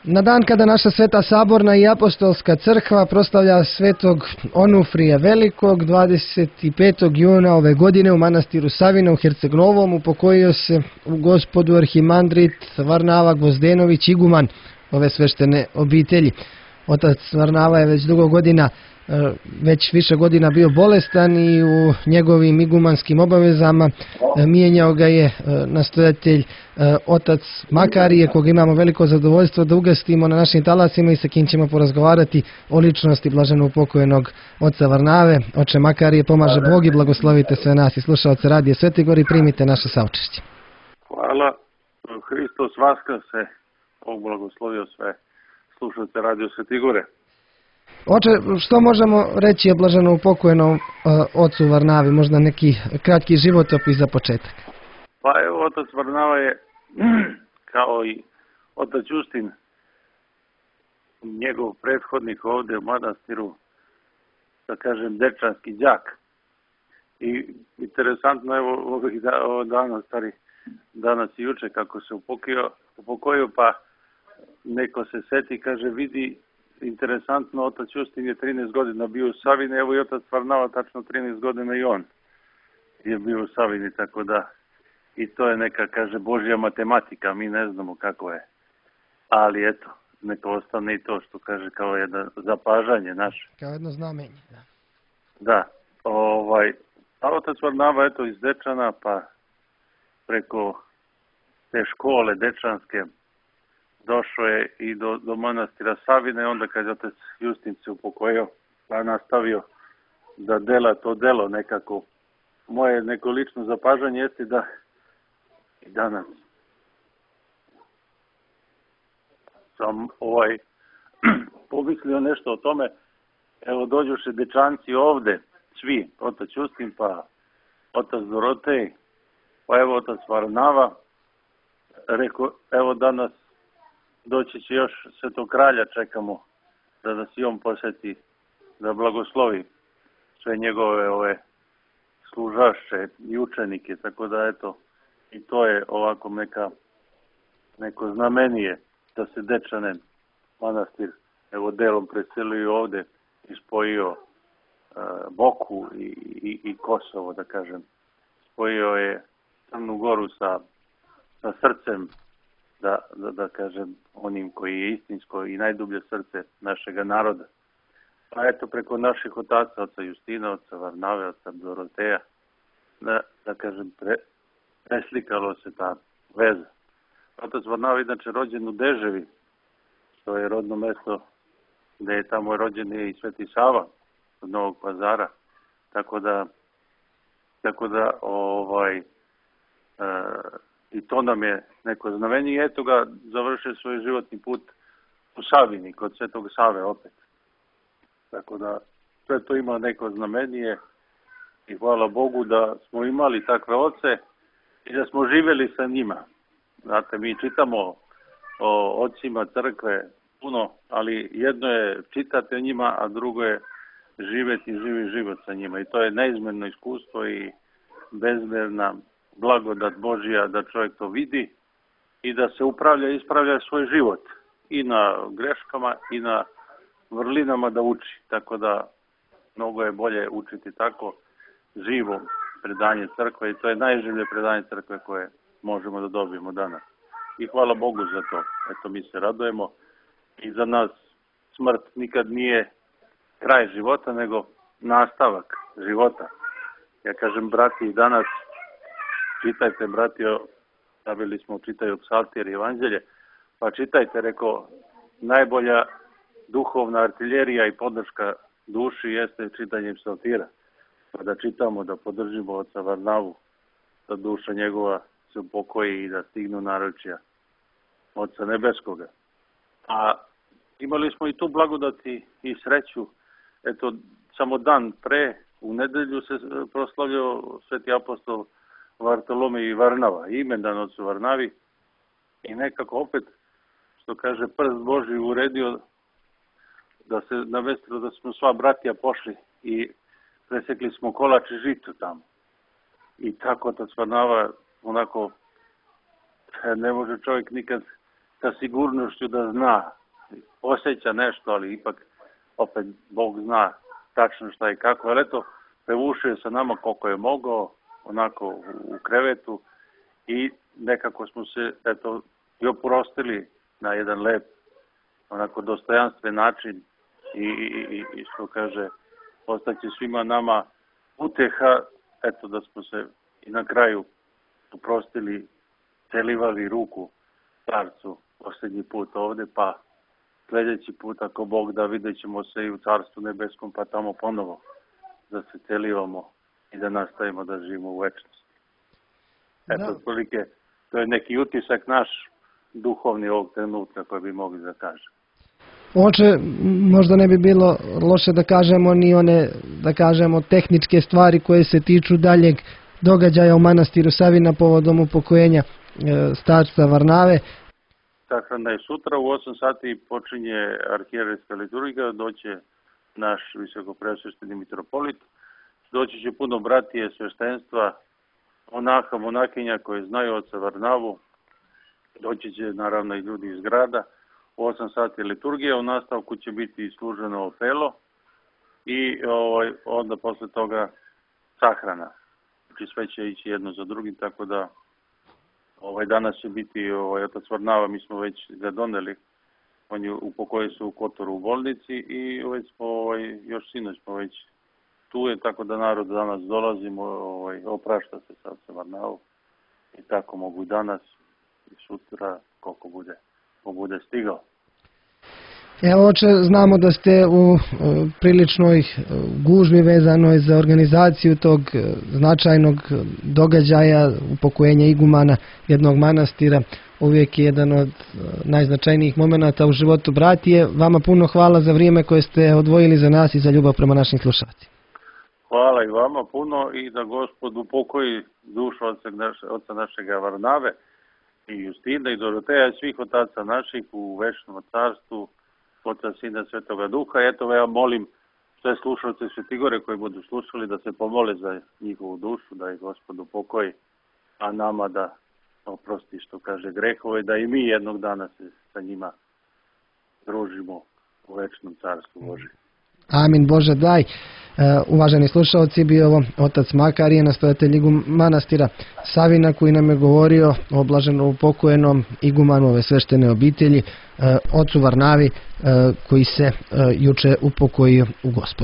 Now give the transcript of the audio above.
Na dan kada naša Sveta Saborna i Apostolska crkva proslavlja svetog Onufrija Velikog, 25. juna ove godine u manastiru Savina u Herceg-Novom upokojio se u Gospodu arhimandrit Varnava Gvozdenović, iguman ove sveštene obitelji. Otac Varnava je već dugo godina, već više godina bio bolestan i u njegovim igumanskim obavezama mijenjao ga je nastojatelj otac Makarije, koga imamo veliko zadovoljstvo da ugostimo na našim talasima i sa kim ćemo porazgovarati o ličnosti blaženo upokojenog oca Varnave. Oče Makarije, pomaže Bog i blagoslovite sve nas i slušaoce Radije Svetigor i primite naše saučešće. Hvala. Hristos vaskrse, Bog blagoslovio sve slušaoce Radio Svetigore. Oče, što možemo reći o blaženo upokojenom ocu Varnavi? Možda neki kratki životopis za početak. Pa evo, otac Varnava je, kao i otac Justin, njegov prethodnik ovdje u manastiru, da kažem, dečanski đak. I interesantno, evo, danas i juče kako se upokojio, pa neko se seti, kaže, vidi, interesantno, otac Justin je 13 godina bio u Savini, evo i otac Varnava tačno 13 godina i on je bio u Savini, tako da i to je neka, kaže, Božja matematika, mi ne znamo kako je. Ali eto, neka ostane i to što kaže kao jedno zapažanje naše. Kao jedno znamenje, da. Da, a otac Varnava, eto, iz Dečana, pa preko te škole dečanske, došao je i do manastira Savine, onda kad je otac Justin se upokojio, pa nastavio da dela to delo nekako. Moje neko lično zapažanje jeste da i danas sam pomislio nešto o tome. Evo, dođoše dečanci ovde, svi, otac Justin, pa otac Dorotej, pa evo otac Varnava. Rekao, evo danas doći će još Svetog kralja, čekamo da nas i on posjeti, da blagoslovi sve njegove služaše i učenike, tako da eto, i to je ovako neko znamenije da se Dečanen manastir evo delom preselio ovde i spojio Boku i Kosovo, da kažem. Spojio je Crnu Goru sa srcem, da kažem, onim koji je istinsko i najdublje srce našega naroda. Pa eto, preko naših otaca, oca Justina, oca Varnave, oca Doroteja, da kažem, preslikalo se ta veza. Otac Varnava je inače rođen u Deževi, što je rodno mesto gde je tamo rođen i Sveti Sava od Novog Pazara. Tako da i to nam je neko znamenje i eto ga završio svoj životni put u Savini, kod Svetog Save opet. Tako da sve to ima neko znamenje i hvala Bogu da smo imali takve oce i da smo živjeli sa njima. Znate, mi čitamo o ocima crkve puno, ali jedno je čitati o njima, a drugo je živjeti živi život sa njima. I to je neizmjerno iskustvo i bezmjerna blagodat Božja da čovjek to vidi i da se ispravlja svoj život i na greškama i na vrlinama da uči. Tako da mnogo je bolje učiti tako živo predanje crkve i to je najživlje predanje crkve koje možemo da dobijemo danas. I hvala Bogu za to. Eto, mi se radujemo i za nas smrt nikad nije kraj života, nego nastavak života. Ja kažem, brati, i danas čitajte, bratio, stavili smo čitaju psaltir i evanđelje, pa čitajte, rekao, najbolja duhovna artiljerija i podrška duši jeste čitanje psaltira. Pa da čitamo, da podržimo oca Varnavu, da duša njegova se upokoji i da stignu naručja Oca Nebeskoga. A imali smo i tu blagodati i sreću. Eto, samo dan pre, u nedelju se proslavljao Sveti apostol Vartolomej i Varnava, imendan ocu Varnavi, i nekako opet, što kaže, prst Božji uredio da se navestilo da smo sva bratija pošli i presekli smo kolač i žito tamo. I tako otac Varnava, onako, ne može čovjek nikad sa sigurnošću da zna, osjeća nešto, ali ipak opet Bog zna tačno šta i kako. Ali eto, prevušio sa nama koliko je mogao, onako u krevetu i nekako smo se i oprostili na jedan lep, onako dostojanstven način i što kaže, ostaće svima nama uteha, eto da smo se i na kraju oprostili, celivali ruku starcu posljednji put ovde, pa sljedeći put ako Bog da, vidjet ćemo se i u Carstvu nebeskom, pa tamo ponovo da se celivamo i da nastavimo da živimo u večnosti. Eto, otprilike, to je neki utisak naš duhovni ovog trenutka koji bi mogli da kažem. Oče, možda ne bi bilo loše da kažemo ni one, da kažemo, tehničke stvari koje se tiču daljeg događaja u manastiru Savina povodom upokojenja starca Varnave. Sahrana je sutra u 8 sati počinje arhijerejska liturgija, doće naš visokopreosvešteni mitropolit, doći će puno bratije sveštenstva, monaha, monakinja koji znaju oca Varnavu, doći će naravno i ljudi iz grada. U 8 sati liturgija, u nastavku će biti služeno opelo i onda posle toga sahrana. Znači sve će ići jedno za drugim, tako da danas će biti otac Varnava, mi smo već ga doneli, on je upokojio se u Kotoru u bolnici i već smo, još sinoć smo već tu je, tako da narod danas dolazimo, oprašta se sa ocem Varnavom i tako mogu i danas i sutra koliko bude stigao. Evo, oče, znamo da ste u priličnoj gužvi vezanoj za organizaciju tog značajnog događaja, upokojenja igumana jednog manastira. Uvijek je jedan od najznačajnijih momenata u životu bratije. Vama puno hvala za vrijeme koje ste odvojili za nas i za ljubav prema našim slušalcima. Hvala i vama puno i da Gospod upokoji dušu oca našega Varnave i Justina i Doroteja i svih otaca naših u večnom carstvu, Oca, Sina, Svetoga Duha. Eto, ja molim sve slušalce Svetigore koji budu slušali da se pomole za njihovu dušu, da ih Gospod upokoji, a nama da oprosti, što kaže, grehove, da i mi jednog dana se sa njima družimo u večnom carstvu Božjem. Amin, Bože daj. Uvaženi slušalci, bio ovo otac Makarije, nastojatelj manastira Savina, koji nam je govorio o blaženo upokojenom igumanu ove sveštene obitelji, ocu Varnavi, koji se juče upokojio u Gospodu.